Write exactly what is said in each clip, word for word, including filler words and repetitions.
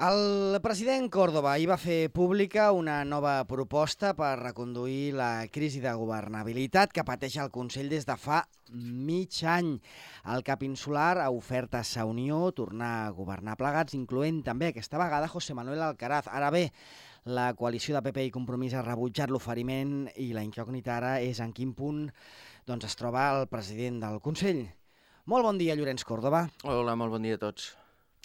El president Córdoba ahir va fer pública una nova proposta per reconduir la crisi de governabilitat que pateix el Consell des de fa mig any. El cap insular ha ofert a Sa Unió tornar a governar plegats, incloent també aquesta vegada José Manuel Alcaraz. Ara bé, la coalició de P P i Compromís ha rebutjat l'oferiment i la incògnita ara és en quin punt doncs, es troba el president del Consell. Molt bon dia, Llorenç Córdoba. Hola, molt bon dia a tots.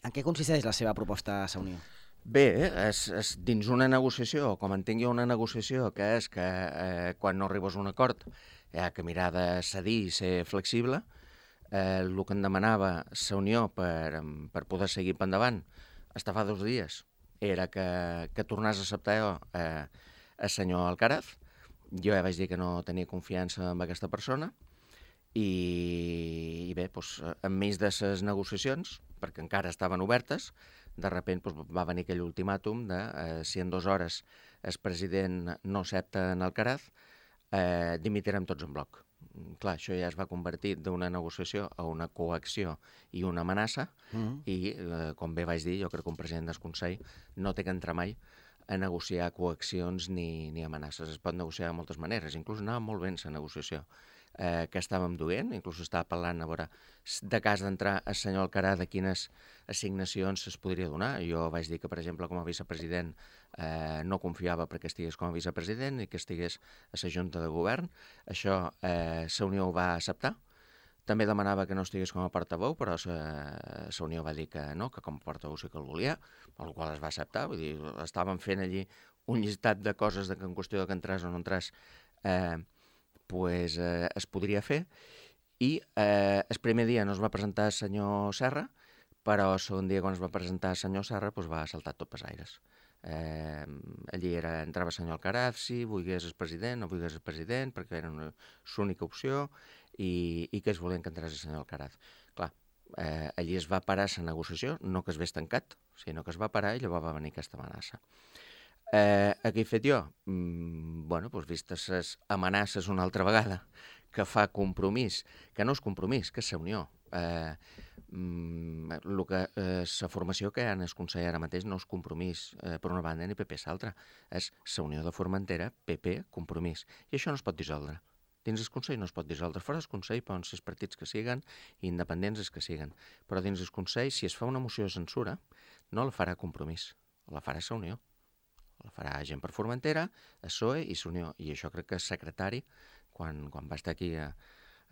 En què consisteix la seva proposta a Sa Unió? Bé, és, és dins una negociació, com entenc jo una negociació, que és que eh, quan no arribes a un acord hi ha que mirar de cedir i ser flexible. Eh, el que em demanava Sa Unió per, per poder seguir per endavant, hasta fa dos dies, era que, que tornés a acceptar jo eh, el senyor Alcaraz. Jo ja vaig dir que no tenia confiança en aquesta persona i, i bé, doncs, enmig de les negociacions, perquè encara estaven obertes, de sobte doncs, va venir aquell ultimàtum de eh, si en dues hores el president no accepta en Alcaraz, eh, dimitirem tots en bloc. Clar, això ja es va convertir d'una negociació a una coacció i una amenaça, mm-hmm. i, eh, com bé vaig dir, jo crec que un president del Consell no té que entrar mai a negociar coaccions ni, ni amenaces. Es pot negociar de moltes maneres, inclús anava molt bé la negociació eh, que estàvem duent, inclús estava parlant a veure de cas d'entrar el senyor Alcaraz de quines assignacions es podria donar. Jo vaig dir que, per exemple, com a vicepresident eh, no confiava perquè estigués com a vicepresident i que estigués a la Junta de Govern. Això eh, Sa Unió ho va acceptar. També demanava que no estigués com a portaveu, però Sa Unió va dir que no, que com a portaveu sí que el volia, el qual es va acceptar. Vull dir, estàvem fent allí un llistat de coses de que en qüestió de que entràs o no entràs eh, pues, eh, es podria fer. I eh, el primer dia no es va presentar el senyor Serra, però el segon dia quan es va presentar el senyor Serra pues, va saltar tot pels aires. Eh, allí era, entrava el senyor Alcaraz, si volgués el president, no volgués el president, perquè era l'única opció, i, i que es volien que entrés el senyor Alcaraz. Clar, eh, allí es va parar la negociació, no que es hagués tancat, sinó que es va parar i llavors va venir aquesta amenaça. Eh, què he fet jo? Mm, bueno, doncs vistes les amenaces una altra vegada, que fa compromís, que no és compromís, que és Sa Unió. Eh, mm, lo que, eh, la formació que hi ha en el Consell ara mateix no és compromís eh, per una banda ni P P l'altra, és Sa Unió de Formentera, P P, compromís. I això no es pot dissoldre. Dins el Consell no es pot dissoldre. Fora del Consell poden ser els partits que siguen i independents els que siguen. Però dins el Consell, si es fa una moció de censura, no la farà compromís, la farà Sa Unió. La farà gent per Formentera, el P S O E i Sa Unió. I això crec que el secretari, quan, quan va estar aquí a,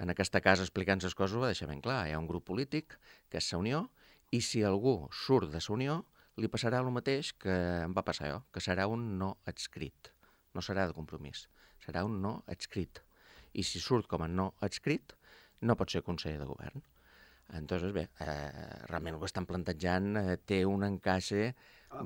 en aquesta casa explicant les coses, ho va deixar ben clar. Hi ha un grup polític que és Sa Unió, i si algú surt de Sa Unió, li passarà el mateix que em va passar jo, que serà un no adscrit. No serà de compromís, serà un no adscrit. I si surt com a no adscrit, no pot ser conseller de govern. Entonces, bé, eh, realment el que estan plantejant eh, té un encaixe...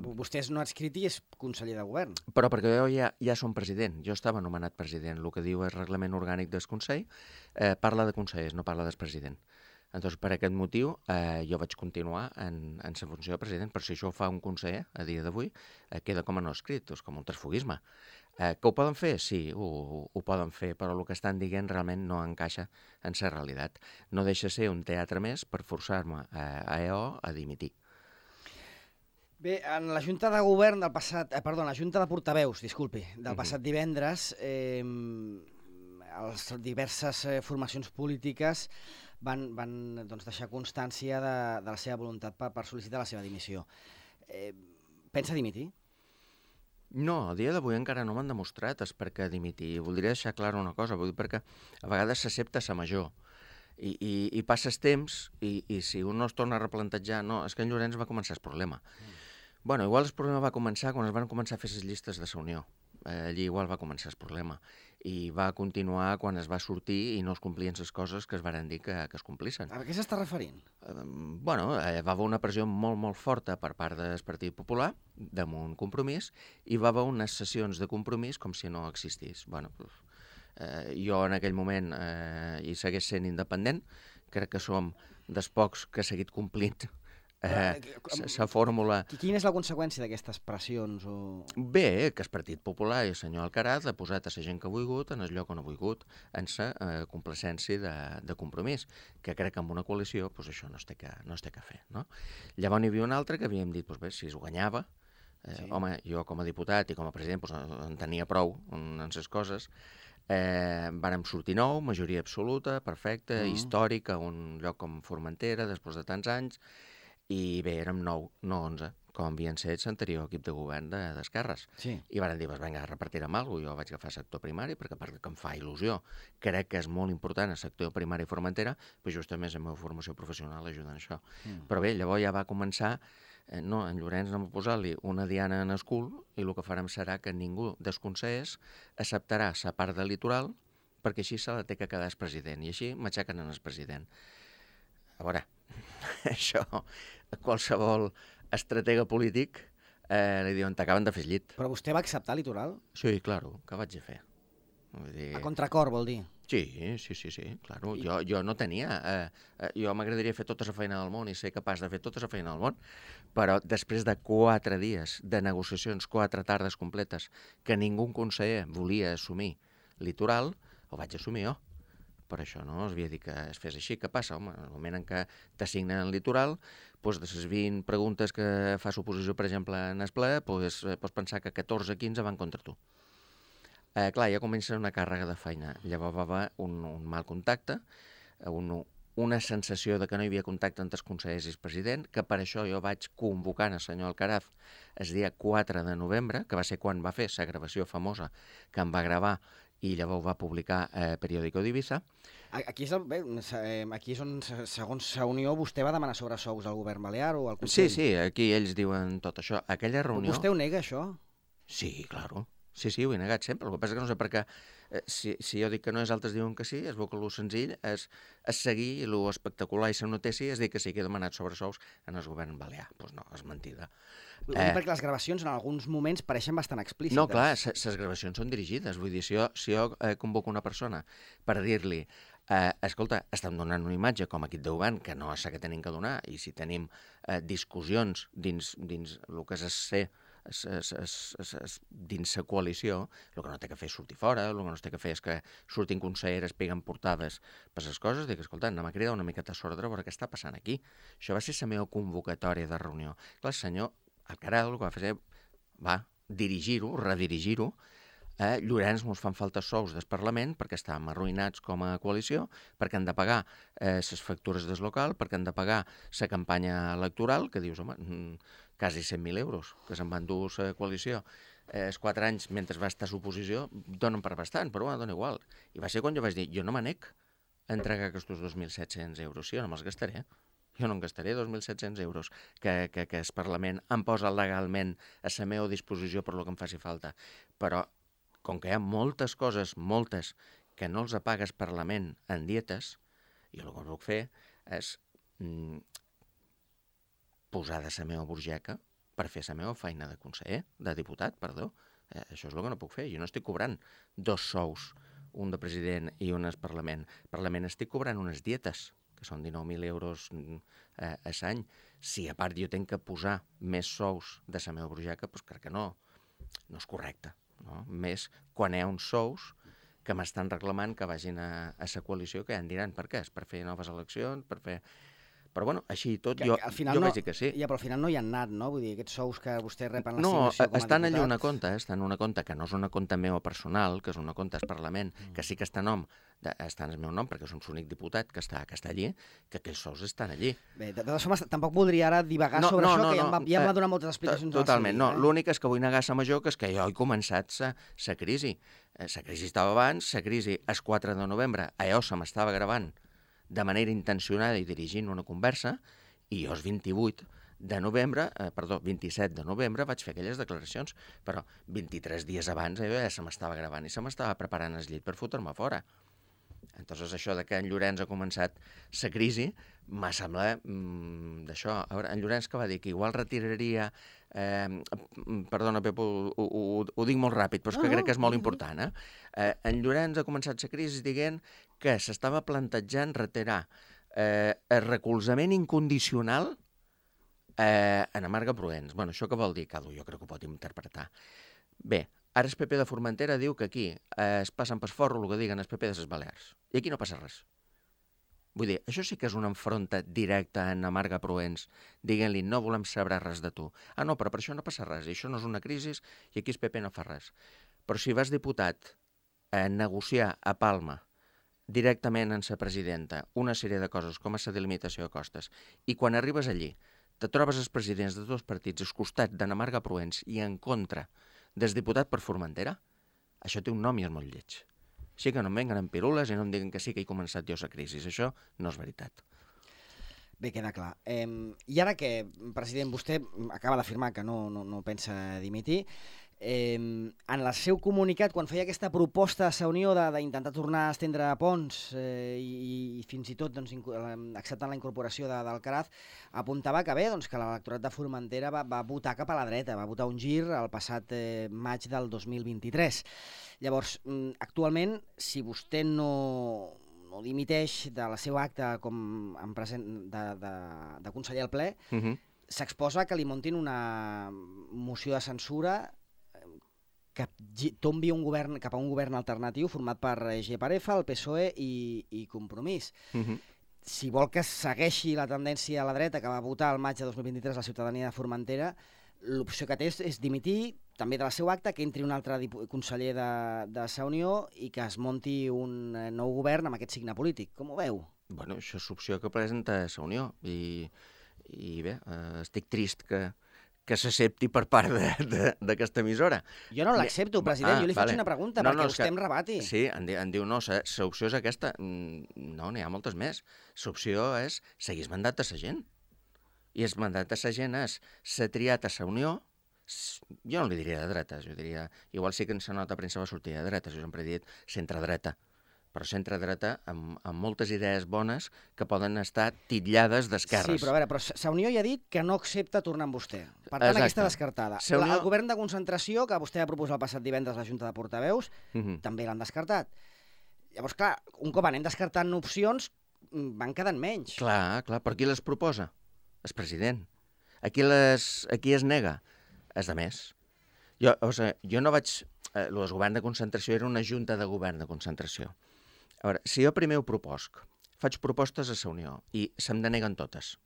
Vostè és no adscrit i és conseller de govern. Però perquè jo ja, ja som president, jo estava nomenat president. El que diu el reglament orgànic del Consell eh, parla de consellers, no parla del president. Entonces, per aquest motiu, eh, jo vaig continuar en, en la funció de president, però si això ho fa un conseller a dia d'avui, eh, queda com a no escrit, és com un transfugisme. Eh, que ho poden fer? Sí, ho, ho poden fer, però el que estan dient realment no encaixa en la realitat. No deixa ser un teatre més per forçar-me a, a E O a dimitir. Bé, en la Junta de Govern del passat... Eh, perdó, en la Junta de Portaveus, disculpi, del passat divendres, eh, les diverses eh, formacions polítiques van, van doncs, deixar constància de, de la seva voluntat per, per sol·licitar la seva dimissió. Eh, pensa dimitir? No, a dia d'avui encara no m'han demostrat és per què dimitir. Voldria deixar clara una cosa, vull dir perquè a vegades s'accepta sa major i, i, i passes temps i, i si un no es torna a replantejar, no, és que en Llorenç va començar el problema. Mm. Bueno, igual el problema va començar quan es van començar a fer les llistes de Sa Unió. Eh, allí igual va començar el problema i va continuar quan es va sortir i no es complien les coses que es varen dir que, que es complissin. A què s'està referint? Eh, bueno, eh, va haver una pressió molt, molt forta per part del Partit Popular damunt Compromís i va haver unes sessions de Compromís com si no existís. Bueno, eh, jo en aquell moment eh, hi segueix sent independent, crec que som dels pocs que ha seguit complint la fórmula... Quina és la conseqüència d'aquestes pressions? O... Bé, que el Partit Popular i el senyor Alcaraz ha posat a la gent que ha volgut en el lloc on ha volgut, en la eh, complacència de, de compromís, que crec que amb una coalició pues, això no es té que, no es té que fer. No? Llavors n'hi havia un altre que havíem dit, pues, bé, si es guanyava, eh, sí. home, jo com a diputat i com a president pues, en tenia prou en les coses, eh, vàrem sortir nou, majoria absoluta, perfecta, mm. històrica, un lloc com Formentera, després de tants anys, i bé, érem nou, no onze, com havien set l'anterior equip de govern d'esquerres. Sí. I van dir, pues, vinga, repartirem alguna cosa. Jo vaig agafar sector primari, perquè perquè em fa il·lusió. Crec que és molt important el sector primari i Formentera, però justament la meva formació professional ajuda en això. Mm. Però bé, llavors ja va començar, eh, no, en Llorenç no m'ha posat-li una diana en el cul, i el que farem serà que ningú dels consellers acceptarà la part del litoral, perquè així se la té que quedar el president, i així m'aixequen en el president. A veure, això, qualsevol estratega polític eh, li diuen, t'acaben de fer llit. Però vostè va acceptar el litoral? Sí, claro, què vaig a fer? Vull dir... A contracor, vol dir? Sí, sí, sí, sí, claro. I... Jo, jo no tenia... Eh, eh, jo m'agradaria fer tota la feina del món i ser capaç de fer tota la feina del món, però després de quatre dies de negociacions, quatre tardes completes, que ningú conseller volia assumir litoral, ho vaig assumir jo. Per això no es havia dit que es fes així. Què passa? Home, en el moment en què t'assignen el litoral, doncs de les vint preguntes que fa l'oposició, per exemple, en el ple, doncs, pots pensar que catorze o quinze van contra tu. Eh, clar, ja comença una càrrega de feina. Llavors va haver un, un mal contacte, un, una sensació de que no hi havia contacte entre els consellers i el president, que per això jo vaig convocant el senyor Alcaraz el dia quatre de novembre, que va ser quan va fer la gravació famosa que em va gravar i llavors va publicar eh, Periódico d'Ibiza. Aquí és, el, bé, aquí és on, segons la Unió, vostè va demanar sobresous al govern balear o al Consell? Sí, sí, aquí ells diuen tot això. Aquella reunió... Vostè ho nega, això? Sí, claro. Sí, sí, ho he negat sempre. El que passa és que no sé per què, eh, si, si jo dic que no és, altres diuen que sí, es veu que el senzill és, és seguir, i el espectacular i la notícia és dir que sí que he demanat sobresous en el govern balear. Doncs pues no, és mentida. Eh, perquè les gravacions en alguns moments pareixen bastant explícites. No, clar, les gravacions són dirigides. Vull dir, si jo, si jo eh, convoco una persona per dir-li eh, escolta, estem donant una imatge com a equip de govern que no és la que tenim que donar, i si tenim eh, discussions dins, dins el que és ser es, es, es, es, es, dins la coalició, el que no té que fer és sortir fora, el que no té que fer és que surtin conselleres, peguen portades per les coses, dic, escolta, anem a cridar una miqueta sordre a veure què està passant aquí. Això va ser la meva convocatòria de reunió. Clar, el senyor Alcaraz el que va fer va dirigir-ho, redirigir-ho. Eh, Llorenç mos fan falta sous del Parlament perquè estàvem arruïnats com a coalició, perquè han de pagar les eh, factures del local, perquè han de pagar la campanya electoral, que dius, home, mm, quasi cent mil euros que se'n van dur la coalició. Eh, els quatre anys, mentre va estar a l'oposició, donen per bastant, però bueno, dona igual. I va ser quan jo vaig dir, jo no m'anec a entregar aquests dos mil set-cents euros, sí, jo no me'ls gastaré. Jo no em gastaré dos mil set-cents euros que, que, que el Parlament em posa legalment a la meva disposició per lo que em faci falta. Però, com que hi ha moltes coses, moltes, que no els apaga el Parlament en dietes, jo el que puc fer és mm, posar de la meva burgeca per fer la meva feina de conseller, de diputat, perdó. Eh, això és el que no puc fer. Jo no estic cobrant dos sous, un de president i un al Parlament. Al Parlament estic cobrant unes dietes, que són dinou mil euros eh, a l'any. Si a part jo tenc que posar més sous de la meva burgeca, doncs crec que no, no és correcte. No? Més quan hi ha uns sous que m'estan reclamant que vagin a, a la coalició, que ja en diran per què, és per fer noves eleccions, per fer... Però bueno, així i tot, que, jo, jo no, vaig dir que sí. Ja, però al final no hi han anat, no? Vull dir, aquests sous que vostè rep en no, l'assignació com a estan diputat... allà una compte, eh? Estan una compte que no és una compte meva personal, que és una compte al Parlament, mm. que sí que està, nom, de, està en el meu nom, perquè som l'únic diputat que està, que està allí, que aquells sous estan allí. Bé, de totes formes, tampoc voldria ara divagar no, sobre no, això, no, que ja em va, ja em va donar moltes explicacions. Totalment, no. Eh? L'únic és que vull negar la major, que és que jo he començat la crisi. La crisi estava abans, la crisi el quatre de novembre, allò se m'estava gravant de manera intencionada i dirigint una conversa, i jo el vint-i-vuit de novembre, eh, perdó, vint-i-set de novembre vaig fer aquelles declaracions, però vint-i-tres dies abans eh, ja se m'estava gravant i se m'estava preparant el llit per fotre-me fora. Entonces això de que en Llorenç ha començat la crisi m'ha semblat mmm, d'això. A veure, en Llorenç que va dir que igual retiraria... Eh, perdona, Pep, ho, ho, ho, ho dic molt ràpid, però és que crec que és molt important. Eh? Eh, en Llorenç ha començat la crisi dient que s'estava plantejant retirar eh, el recolzament incondicional Eh, Ana Marga Proens. Bueno, això què vol dir? Cada jo crec que ho pot interpretar. Bé, ara el P P de Formentera diu que aquí eh, es passen per forro el que diguen el P P de les Balears. I aquí no passa res. Vull dir, això sí que és una enfronta directa a Ana Marga Proens, dient-li no volem saber res de tu. Ah, no, però per això no passa res, i això no és una crisi, i aquí el P P no fa res. Però si vas diputat a negociar a Palma directament amb la presidenta una sèrie de coses com a la delimitació de costes, i quan arribes allí te trobes els presidents de dos partits al costat d'Ana Marga Proens i en contra del diputat per Formentera, això té un nom i és molt lleig. Així que no em venguen amb pirules i no em diguin que sí que he començat jo la crisi. Això no és veritat. Bé, queda clar. Eh, I ara que, president, vostè acaba d'afirmar que no, no, no pensa dimitir, eh, en el seu comunicat, quan feia aquesta proposta a la Unió d'intentar tornar a estendre ponts eh, i, i fins i tot doncs, acceptant la incorporació de, d'Alcaraz, apuntava que bé, doncs, que l'electorat de Formentera va, va votar cap a la dreta, va votar un gir el passat eh, maig del dos mil vint-i-tres. Llavors, actualment, si vostè no, no dimiteix de la seva acta com en present de, de, de conseller al ple, uh -huh. s'exposa que li montin una moció de censura que tombi un govern, cap a un govern alternatiu format per G per F, el P S O E i, i Compromís. Uh -huh. Si vol que segueixi la tendència a la dreta que va votar el maig de dos mil vint-i-tres la ciutadania de Formentera, l'opció que té és, és dimitir també de la seva acta, que entri un altre conseller de, de la Unió i que es monti un nou govern amb aquest signe polític. Com ho veu? Bueno, això és l'opció que presenta la Unió i, i bé, eh, estic trist que que s'accepti per part d'aquesta emissora. Jo no l'accepto, president, ah, jo li faig vale. una pregunta no, perquè no, vostè que, em rebati. Sí, em, di, em diu, no, l'opció és aquesta. No, n'hi ha moltes més. L'opció és seguir el mandat de la gent. I el mandat de la gent és s'ha triat a la Unió, jo no li diria de dretes, jo diria, igual sí que en la nota de premsa va sortir de dretes, jo sempre he dit centre-dreta, però centre-dreta amb, amb moltes idees bones que poden estar titllades d'esquerres. Sí, però a veure, però la Unió ja ha dit que no accepta tornar amb vostè. Per tant, Exacte. aquesta descartada. La, Unió... El govern de concentració, que vostè va proposar el passat divendres a la Junta de Portaveus, uh -huh. també l'han descartat. Llavors, clar, un cop anem descartant opcions, van quedant menys. Clar, clar, per qui les proposa? El president. Aquí, les, aquí es nega. És de més. Jo, o sigui, jo no vaig... Eh, el govern de concentració era una junta de govern de concentració. A veure, si jo primer ho proposc, faig propostes a la Unió i se'm deneguen totes.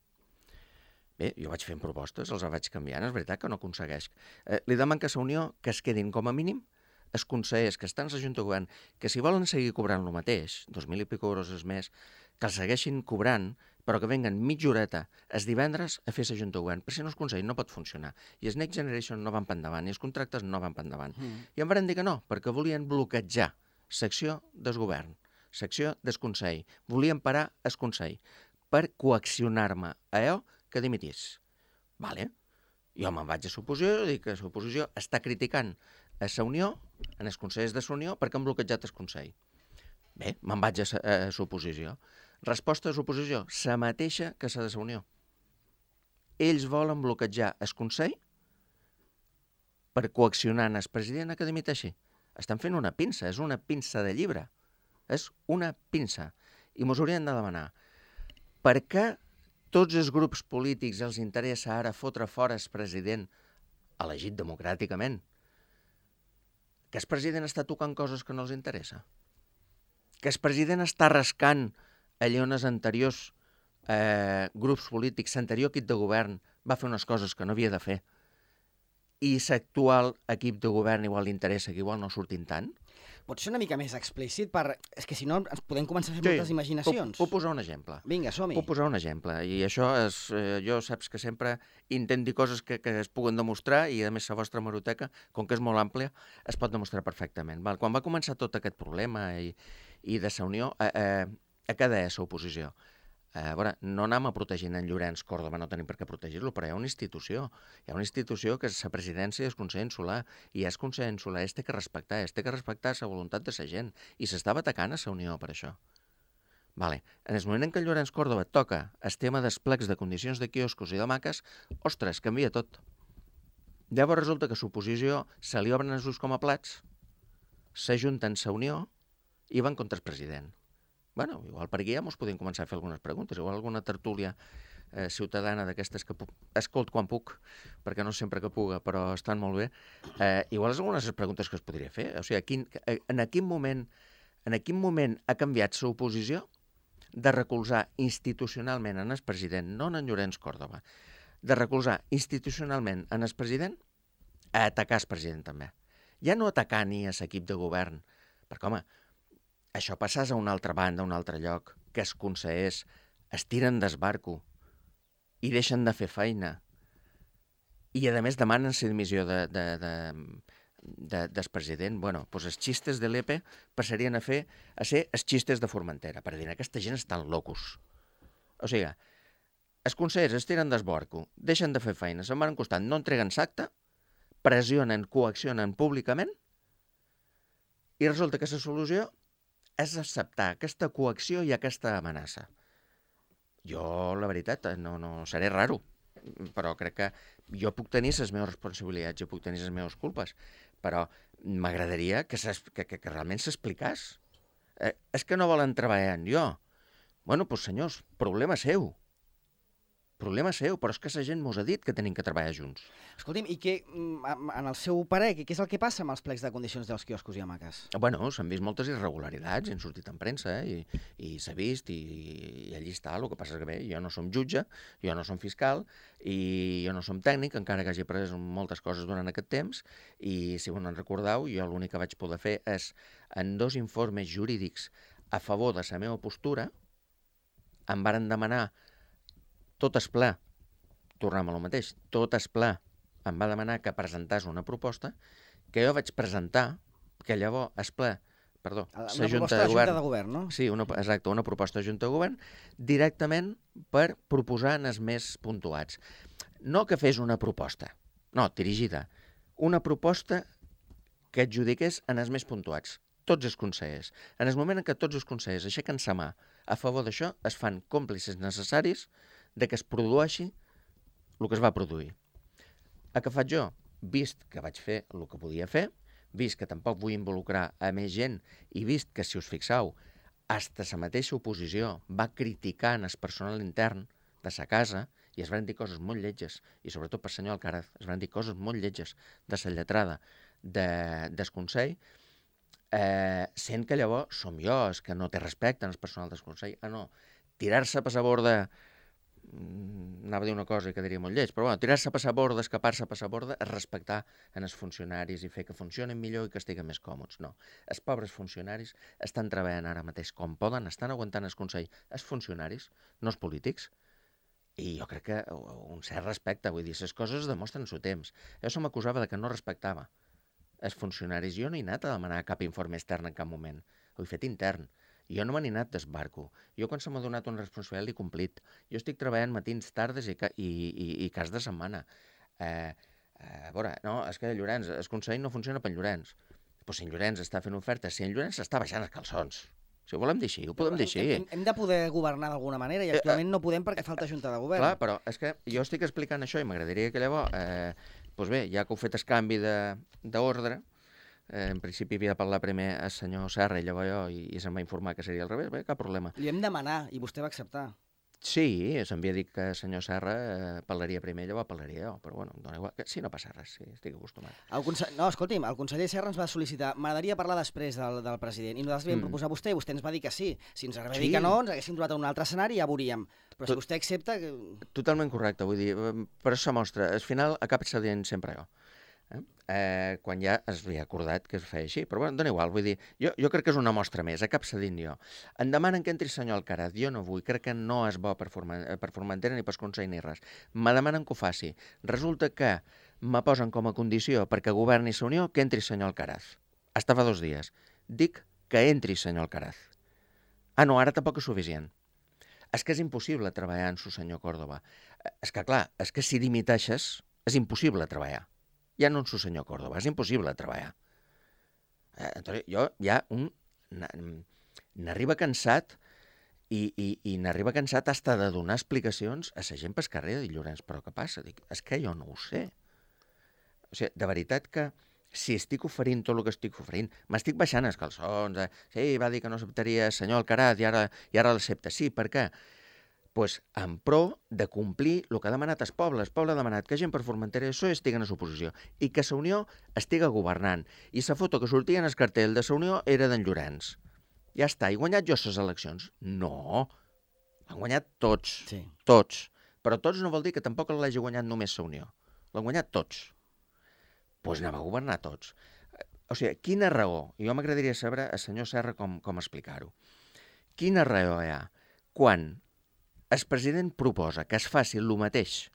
Bé, jo vaig fent propostes, els vaig canviant, és veritat que no aconsegueix. Eh, li deman que a la Unió que es quedin com a mínim els consellers que estan a la Junta de Govern, que si volen seguir cobrant el mateix, dos mil i pico euros més, que els segueixin cobrant, però que venguen mitja horeta els divendres a fer la Junta de Govern, perquè si no el Consell no pot funcionar. I els Next Generation no van per endavant, i els contractes no van per endavant. Mm. I em van dir que no, perquè volien bloquejar l'acció del govern, l'acció del Consell. Volien parar el Consell per coaccionar-me a allò que dimitís. Vale. Jo me'n vaig a l'oposició i dic que l'oposició està criticant a la Unió, en els consellers de la Unió, perquè han bloquejat el Consell. Bé, me'n vaig a l'oposició. Resposta a l'oposició, la mateixa que la de la Unió. Ells volen bloquejar el Consell per coaccionar el president a que dimiteixi. Estan fent una pinça, és una pinça de llibre. És una pinça. I mos haurien de demanar per què tots els grups polítics els interessa ara fotre fora el president elegit democràticament? Que el president està tocant coses que no els interessa? Que el president està rascant allà on els anteriors eh, grups polítics, l'anterior equip de govern va fer unes coses que no havia de fer i l'actual equip de govern igual li interessa que igual no surtin tant? Pot ser una mica més explícit? Per... És que si no ens podem començar a fer sí, moltes imaginacions. Puc, puc posar un exemple. Vinga, som-hi. Puc posar un exemple. I això és... Eh, jo saps que sempre intento dir coses que, que es puguen demostrar i a més la vostra hemeroteca, com que és molt àmplia, es pot demostrar perfectament. Val? Quan va començar tot aquest problema i, i de la Unió, eh, eh, a què deia l'oposició? A veure, no anem a protegir en Llorenç Córdoba, no tenim per què protegir-lo, però hi ha una institució. Hi ha una institució que és la presidència del Consell Insular, i és Consell Insular, es té que respectar, es té que respectar la voluntat de la gent, i s'estava atacant a la Unió per això. Vale. En el moment en què el Llorenç Córdoba toca el tema dels plecs de condicions de quioscos i de maques, ostres, canvia tot. Llavors resulta que l'oposició se li obren els ulls com a plats, s'ajunten la Unió i van contra el president. Bueno, igual per aquí ja mos podem començar a fer algunes preguntes, igual alguna tertúlia eh, ciutadana d'aquestes que puc, escolt quan puc, perquè no sempre que puga, però estan molt bé, eh, igual és algunes de les preguntes que es podria fer. O sigui, a quin, en, quin moment, en quin moment ha canviat la oposició de recolzar institucionalment en el president, no en Llorenç Córdoba, de recolzar institucionalment en el president a atacar el president també. Ja no atacar ni a l'equip de govern, perquè, home, això passàs a una altra banda, a un altre lloc, que els consellers es tiren d'esbarco i deixen de fer feina i, a més, demanen la dimissió de, de, de, de, del president. Bueno, doncs els xistes de l'E P E passarien a, fer, a ser els xistes de Formentera, per dir, aquesta gent estan locos. O sigui, els consellers es tiren d'esbarco, deixen de fer feina, se'n van costant, no entreguen l'acte, pressionen, coaccionen públicament i resulta que la solució és acceptar aquesta coacció i aquesta amenaça. Jo, la veritat, no, no seré raro, però crec que jo puc tenir les meves responsabilitats, jo puc tenir les meves culpes, però m'agradaria que, que, que, que realment s'explicàs. Eh, és que no volen treballar en jo. Bueno, doncs senyors, problema seu. Problema seu, però és que la gent mos ha dit que tenim que treballar junts. Escolti'm, i què, en el seu parer, què és el que passa amb els plecs de condicions dels quioscos i hamaques? Bueno, s'han vist moltes irregularitats, han sortit en premsa, eh? I, i s'ha vist, i, i allí està, el que passa és que bé, jo no som jutge, jo no som fiscal, i jo no som tècnic, encara que hagi après moltes coses durant aquest temps, i si no en recordeu, jo l'únic que vaig poder fer és, en dos informes jurídics a favor de la meva postura, em varen demanar tot es ple, tornem a lo mateix, tot es ple em va demanar que presentàs una proposta que jo vaig presentar, que llavors es ple, perdó, la Junta de, de Govern, de Govern, no? Sí, una, exacte, una proposta de Junta de Govern, directament per proposar en els més puntuats. No que fes una proposta, no, dirigida, una proposta que adjudiqués en els més puntuats, tots els consellers. En el moment en què tots els consellers aixequen sa mà a favor d'això, es fan còmplices necessaris de que es produeixi el que es va produir. A què faig jo? Vist que vaig fer el que podia fer, vist que tampoc vull involucrar a més gent i vist que, si us fixeu, hasta la mateixa oposició va criticar en el personal intern de sa casa i es van dir coses molt lletges, i sobretot per senyor Alcaraz, es van dir coses molt lletges de la lletrada de, del Consell, eh, sent que llavors som jo els que no té respecte en el personal del Consell. Ah, no, tirar-se a passar borda, anava a dir una cosa i quedaria molt lleig, però bueno, tirar-se a passar borda, escapar-se a passar borda, és respectar en els funcionaris i fer que funcionin millor i que estiguen més còmodes. No, els pobres funcionaris estan treballant ara mateix com poden, estan aguantant el Consell, els funcionaris, no els polítics, i jo crec que un cert respecte, vull dir, les coses es demostren en el seu temps. Jo se m'acusava de que no respectava els funcionaris. Jo no he anat a demanar cap informe extern en cap moment, ho he fet intern. Jo no m'he anat d'esbarco. Jo, quan se m'ha donat una responsabilitat, l'he complit. Jo estic treballant matins, tardes i, i, i, i cas de setmana. Eh, eh, a veure, no, és que Llorenç, el Consell no funciona per Llorenç. Però si en Llorenç està fent ofertes, si en Llorenç està baixant els calçons. Si ho volem dir així, ho podem dir així. Hem, hem de poder governar d'alguna manera i actualment no podem perquè falta Junta de Govern. Clar, però és que jo estic explicant això i m'agradaria que llavors, eh, doncs bé, ja que heu fet el canvi d'ordre, Eh, en principi havia de parlar primer el senyor Serra i llavors jo, i, i se'm va informar que seria al revés, bé, cap problema. Li hem demanat i vostè va acceptar. Sí, se'm havia dit que el senyor Serra eh, parlaria primer, llavors parlaria jo, però bueno, dona igual. Sí, no passa res, sí, estic acostumat. El conse... No, escolti'm, el conseller Serra ens va sol·licitar, m'agradaria parlar després del, del president, i nosaltres li vam mm. proposar a vostè i vostè ens va dir que sí. Si ens agrada sí. dir que no, ens haguéssim trobat en un altre escenari i ja veuríem. Però Tot... si vostè accepta... Que... Totalment correcte, vull dir, per això mostra, al final acaba cedint sempre jo. Eh? Eh, quan ja es havia acordat que es feia així, però bueno, dona igual, vull dir, jo, jo crec que és una mostra més, a cap cedint jo. Em demanen que entri el senyor Alcaraz, jo no vull, crec que no és bo per, Forma, per Formentera ni per Consell ni res. Me demanen que ho faci. Resulta que me posen com a condició perquè governi la Unió que entri el senyor Alcaraz. Hasta fa dos dies. Dic que entri el senyor Alcaraz. Ah, no, ara tampoc és suficient. És que és impossible treballar amb el senyor Córdoba. És que, clar, és que si dimiteixes és impossible treballar. Ja no en su senyor Córdoba, és impossible treballar. Eh, entonces, jo ja un n'arriba cansat i, i, i n'arriba cansat hasta de donar explicacions a la gent pel carrer de dir, Llorenç, però què passa? Dic, és que jo no ho sé. O sigui, de veritat que si estic oferint tot el que estic oferint, m'estic baixant els calçons, eh? Sí, va dir que no acceptaria el senyor Alcaraz i ara, i ara l'accepta. Sí, per què? pues, en pro de complir el que ha demanat el poble. El poble ha demanat que gent per Formentera i P S O E estiguen a l'oposició i que la Unió estiga governant. I la foto que sortia en el cartell de la Unió era d'en Llorenç. Ja està. He guanyat jo les eleccions? No. Han guanyat tots. Sí. Tots. Però tots no vol dir que tampoc l'hagi guanyat només la Unió. L'han guanyat tots. Doncs pues anem a governar tots. O sigui, quina raó? I jo m'agradaria saber al senyor Serra com, com explicar-ho. Quina raó hi ha quan el president proposa que es faci el mateix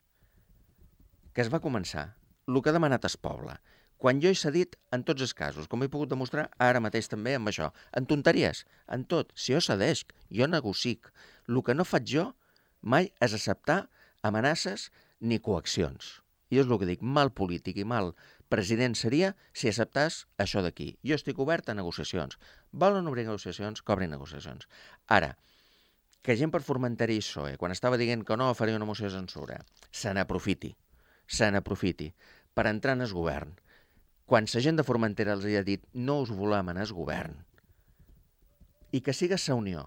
que es va començar, el que ha demanat el poble, quan jo he cedit en tots els casos, com he pogut demostrar ara mateix també amb això, en tonteries, en tot. Si jo cedesc, jo negocic. El que no faig jo mai és acceptar amenaces ni coaccions. I és el que dic, mal polític i mal president seria si acceptàs això d'aquí. Jo estic obert a negociacions. Volen obrir negociacions, que obrin negociacions. Ara, que gent per Formentera i P S O E, quan estava dient que no faria una moció de censura, se n'aprofiti, se n'aprofiti per entrar en el govern. Quan la gent de Formentera els ha dit no us volem en el govern, i que siga la Unió,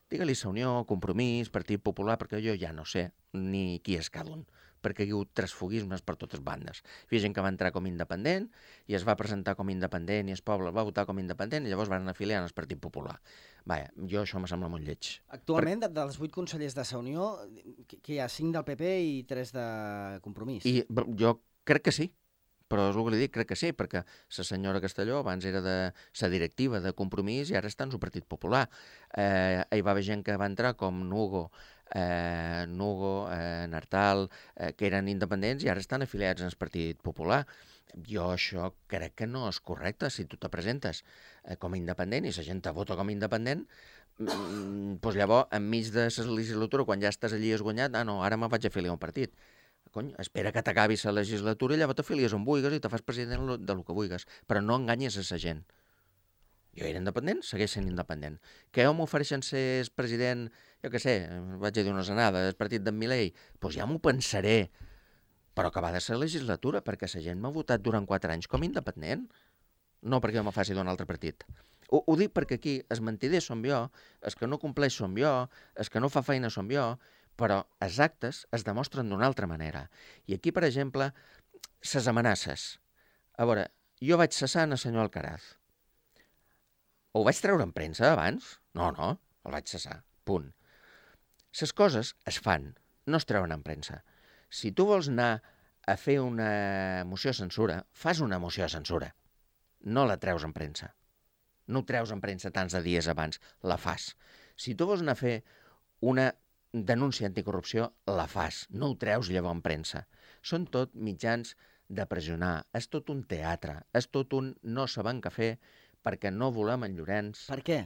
digue-li la Unió, Compromís, Partit Popular, perquè jo ja no sé ni qui és cada un, perquè hi ha hagut transfugismes per totes bandes. Hi havia gent que va entrar com independent i es va presentar com independent i el poble va votar com independent i llavors van afiliar en el Partit Popular. Vaja, jo això me sembla molt lleig. Actualment, per... dels vuit consellers de la Unió, que hi ha cinc del P P i tres de Compromís. I jo crec que sí, però és el que li dic, crec que sí, perquè la senyora Castelló abans era de la directiva de Compromís i ara està en el Partit Popular. Eh, hi va haver gent que va entrar com Nugo, eh, Nugo, eh, Nartal, eh, que eren independents i ara estan afiliats en el Partit Popular. Jo això crec que no és correcte. Si tu te presentes eh, com a independent i la gent te vota com a independent, mm, doncs llavors, enmig de la legislatura, quan ja estàs allí esguanyat, ah, no, ara me vaig afiliar a un partit. Cony, espera que t'acabi la legislatura i llavors t'afilies on vulguis i te fas president de lo que vulguis, però no enganyes a la gent. Jo era independent, segueix sent independent. Que jo m'ofereixen ser president, jo què sé, vaig a dir una zanada, del partit d'en Milei, doncs ja m'ho pensaré, però que va de ser legislatura, perquè la gent m'ha votat durant quatre anys com a independent, no perquè jo me faci d'un altre partit. Ho, ho dic perquè aquí els mentiders som jo, els que no compleix som jo, els que no fa feina som jo, però els actes es demostren d'una altra manera. I aquí, per exemple, les amenaces. A veure, jo vaig cessar en el senyor Alcaraz. Ho vaig treure en premsa abans? No, no, el vaig cessar, punt. Les coses es fan, no es treuen en premsa. Si tu vols anar a fer una moció de censura, fas una moció de censura. No la treus en premsa. No ho treus en premsa tants de dies abans, la fas. Si tu vols anar a fer una denúncia anticorrupció, la fas. No ho treus llavors en premsa. Són tot mitjans de pressionar. És tot un teatre. És tot un no sabem què fer perquè no volem en Llorenç. Per què?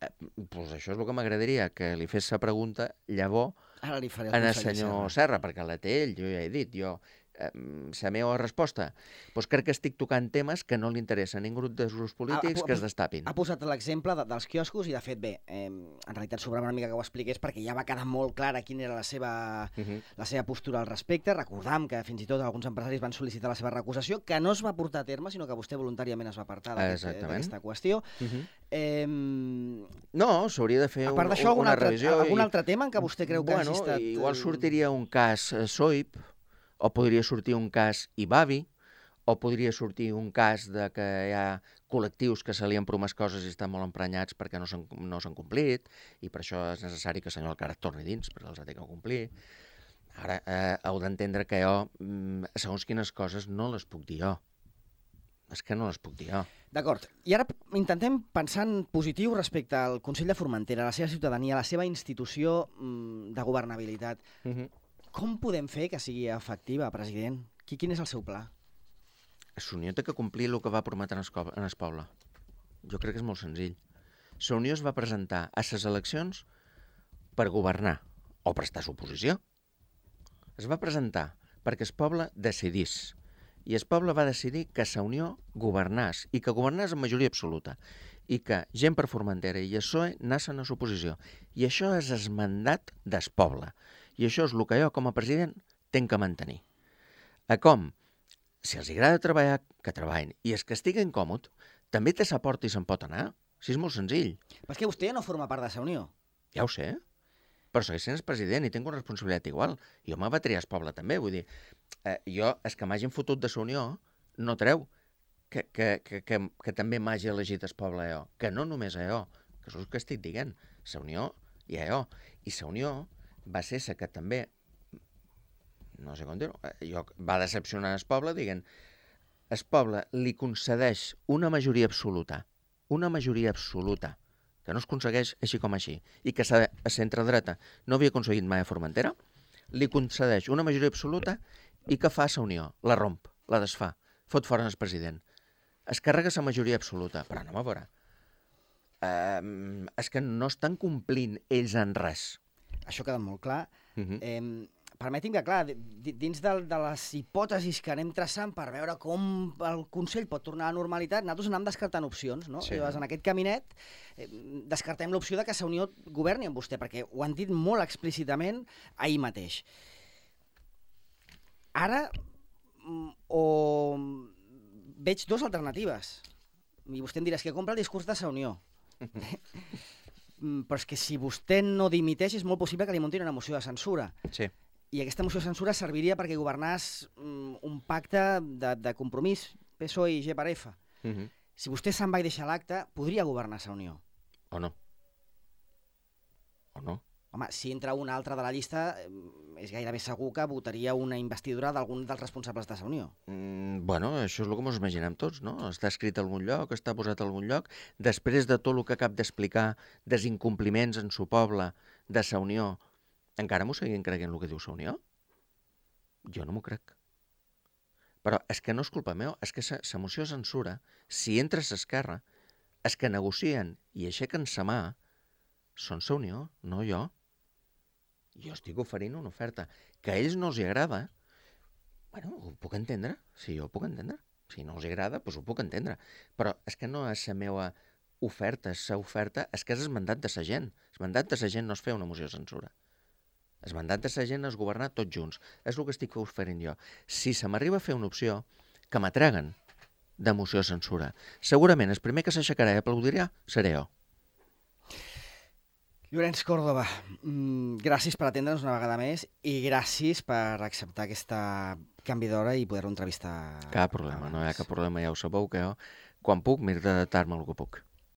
Eh, pues això és el que m'agradaria, que li fes la pregunta llavors Ara li faré al el senyor Serra, perquè la té ell, jo ja he dit, jo, eh, la meva resposta, doncs crec que estic tocant temes que no li interessen a ningú dels grups polítics ha, ha, que es destapin. Ha posat l'exemple de, dels quioscos i, de fet, bé, eh, en realitat sobrava una mica que ho expliqués perquè ja va quedar molt clara quina era la seva, uh -huh. la seva postura al respecte. Recordam que fins i tot alguns empresaris van sol·licitar la seva recusació, que no es va portar a terme, sinó que vostè voluntàriament es va apartar d'aquesta qüestió. Uh -huh. eh, no, s'hauria de fer a part un, una altre, revisió. Algun i... altre tema en què vostè creu que bueno, hagi estat... Igual sortiria un cas eh, S O I P, o podria sortir un cas I B A B I, o podria sortir un cas de que hi ha col·lectius que se li han promès coses i estan molt emprenyats perquè no s'han no s'han complit, i per això és necessari que el senyor Alcaraz torni dins, perquè els ha de complir. Ara, eh, heu d'entendre que jo, segons quines coses, no les puc dir jo. És que no les puc dir jo. D'acord. I ara intentem pensar en positiu respecte al Consell de Formentera, a la seva ciutadania, a la seva institució de governabilitat. Uh -huh. Com podem fer que sigui efectiva, president? Quin és el seu pla? La Unió té que complir el que va prometre en el poble. Jo crec que és molt senzill. La Unió es va presentar a les eleccions per governar o prestar suposició. Es va presentar perquè el poble decidís. I el poble va decidir que la Unió governàs, i que governàs en majoria absoluta, i que gent per Formentera i el P S O E nassen a l'oposició. I això és el mandat del poble. I això és el que jo, com a president, tenc que mantenir. A com? Si els agrada treballar, que treballin. I els que estiguen còmodes, també té sa porta i se'n pot anar. Si és molt senzill. Però és que vostè ja no forma part de la Unió. Ja ho sé. però segueix sent el president i tinc una responsabilitat igual. Jo me va triar el poble també, vull dir, eh, jo, és que m'hagin fotut de la Unió, no treu que, que, que, que, que també m'hagi elegit el poble a jo, que no només a jo, que és el que estic dient, la Unió i a jo. I la Unió va ser la que també, no sé com dir-ho, jo, va decepcionar el poble dient el poble li concedeix una majoria absoluta, una majoria absoluta, que no es aconsegueix així com així, i que a la centredreta no havia aconseguit mai a Formentera, li concedeix una majoria absoluta i que fa la Unió, la romp, la desfà, fot fora el president. Es carrega la majoria absoluta, però no a veure. Uh, és que no estan complint ells en res. Això queda molt clar. Uh -huh. eh, Permeti'm que, clar, dins de, de les hipòtesis que anem traçant per veure com el Consell pot tornar a la normalitat, nosaltres anem descartant opcions, no? Sí. Llavors, en aquest caminet, eh, descartem l'opció de que la Unió governi amb vostè, perquè ho han dit molt explícitament ahir mateix. Ara, o veig dues alternatives, i vostè em dirà, és que compra el discurs de la Unió. Però és que si vostè no dimiteix, és molt possible que li muntin una moció de censura. Sí. I aquesta moció de censura serviria perquè governàs um, un pacte de, de compromís P S O E i G per F. Uh -huh. Si vostè se'n va i deixa l'acte, podria governar la Unió. O no. O no. Home, si entra un altre de la llista, és gairebé segur que votaria una investidura d'algun dels responsables de la Unió. Mm, bueno, això és el que ens imaginem tots, no? Està escrit a algun lloc, està posat a algun lloc. Després de tot el que acab d'explicar, dels incompliments en su poble, de la Unió, encara m'ho seguim creient el que diu la Unió? Jo no m'ho crec. Però és que no és culpa meva, és que la moció de censura, si entra a l'esquerra, és que negocien i aixequen sa mà, són la Unió, no jo. Jo estic oferint una oferta que a ells no els agrada. Bueno, ho puc entendre, si jo ho puc entendre. Si no els agrada, doncs ho puc entendre. Però és que no és la meva oferta, és la oferta, és que és el mandat de la gent. El mandat de la gent no és fer una moció de censura. El mandat de la gent és governar tots junts. És el que estic oferint jo. Si se m'arriba a fer una opció que m'atreguen de moció de censura, segurament el primer que s'aixecarà i aplaudirà seré jo. Llorenç Córdoba, gràcies per atendre'ns una vegada més i gràcies per acceptar aquesta canvi d'hora i poder-ho entrevistar. Cap problema, no hi ha cap problema, ja ho sabeu que jo, quan puc, m'he d'adaptar-me al que puc.